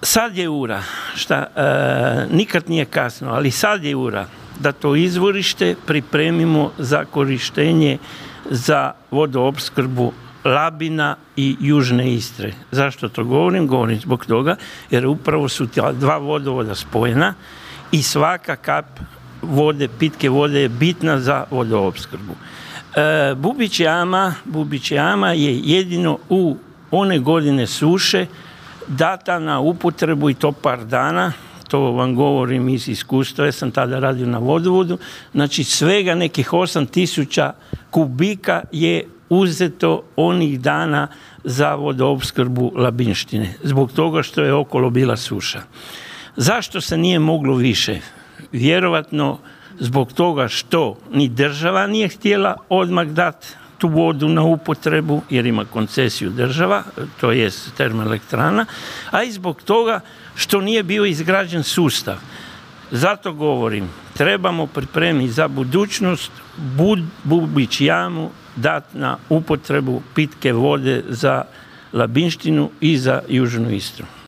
Sad je ura, nikad nije kasno, ali sad je ura da to izvorište pripremimo za korištenje za vodoopskrbu Labina i Južne Istre. Zašto to govorim? Govorim zbog toga jer upravo su ta dva vodovoda spojena i svaka kap vode, pitke vode je bitna za vodoopskrbu. Bubić jama je jedino u one godine suše data na upotrebu i to par dana, to vam govorim iz iskustva, jer sam tada radio na vodovodu, znači svega nekih 8000 kubika je uzeto onih dana za vodoopskrbu Labinštine, zbog toga što je okolo bila suša. Zašto se nije moglo više? Vjerovatno zbog toga što ni država nije htjela odmah dati tu vodu na upotrebu, jer ima koncesiju država, to je termoelektrana, a i zbog toga što nije bio izgrađen sustav. Zato govorim, trebamo pripremiti za budućnost Bubić jamu dati na upotrebu pitke vode za Labinštinu i za Južnu Istru.